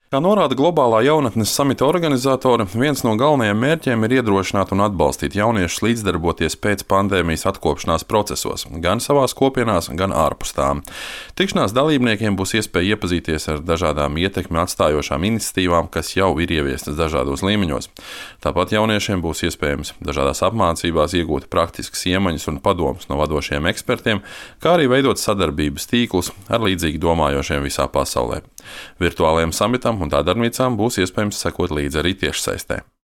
Kā norāda globālā jaunatnes samita organizatori, viens no galvenajiem mērķiem ir iedrošināt un atbalstīt jauniešus līdzdarboties pēc pandēmijas atkopšanās procesos, gan savās kopienās, gan ārpus tām. Tikšanās dalībniekiem būs iespēja iepazīties ar dažādām ietekmi atstājošām iniciatīvām, kas jau ir ieviestas dažādos līmeņos. Tāpat jauniešiem būs iespējams dažādās apmācībās iegūt praktiskas iemaņas un padomus no vadošiem ekspertiem, kā arī veidot sadarbības tīklus ar līdzīgi domājošiem visā pasaulē. Virtuālajiem samitam un tā darbnīcām būs iespējams sekot līdzi arī tiešsaistē.